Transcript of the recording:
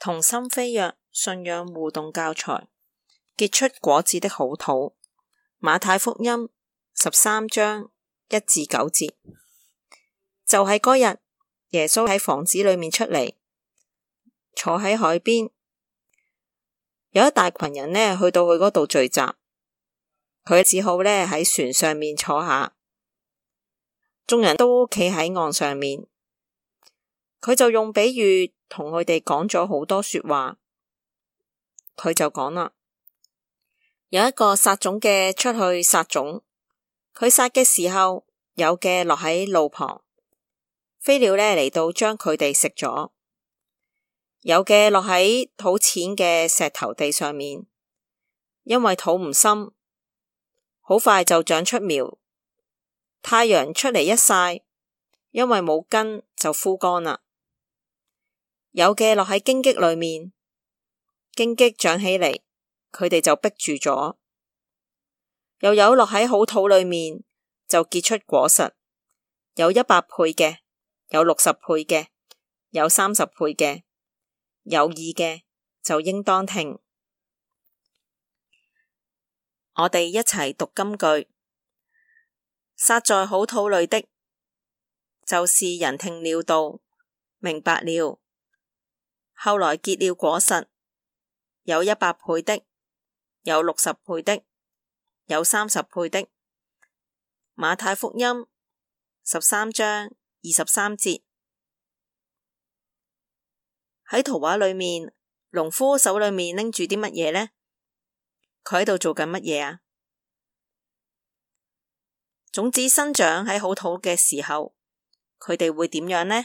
同心飛躍信仰互動教材，結出果子的好土。馬太福音13章1至9節。就喺嗰日，耶穌喺房子裏面出嚟，坐喺海邊，有一大群人呢去到佢嗰度聚集，佢只好呢喺船上面坐下，眾人都企喺岸上面，佢就用比喻同佢哋講咗好多說話。佢就講啦，有一個撒種嘅出去撒種，佢撒嘅時候，有嘅落喺路旁，飛鳥呢嚟到將佢哋食咗；有嘅落喺土淺嘅石頭地上面，因為土唔深，好快就長出苗，太陽出嚟一曬，因為冇根就枯乾啦。有嘅落喺荊棘裏面，荊棘長起嚟，佢哋就逼住咗；又有落喺好土裏面，就結出果實，有100倍嘅，有60倍嘅，有30倍嘅。有耳嘅就應當聽。我哋一齊讀金句。撒在好土裏的，就是人聽了道，明白了，後來結了果實，有100倍的，有60倍的，有30倍的。馬太福音13章23節。喺圖畫裏面，農夫手裏面拎住啲乜嘢呢？佢喺度做緊乜嘢啊？種子生長喺好土嘅時候，佢哋會點樣呢？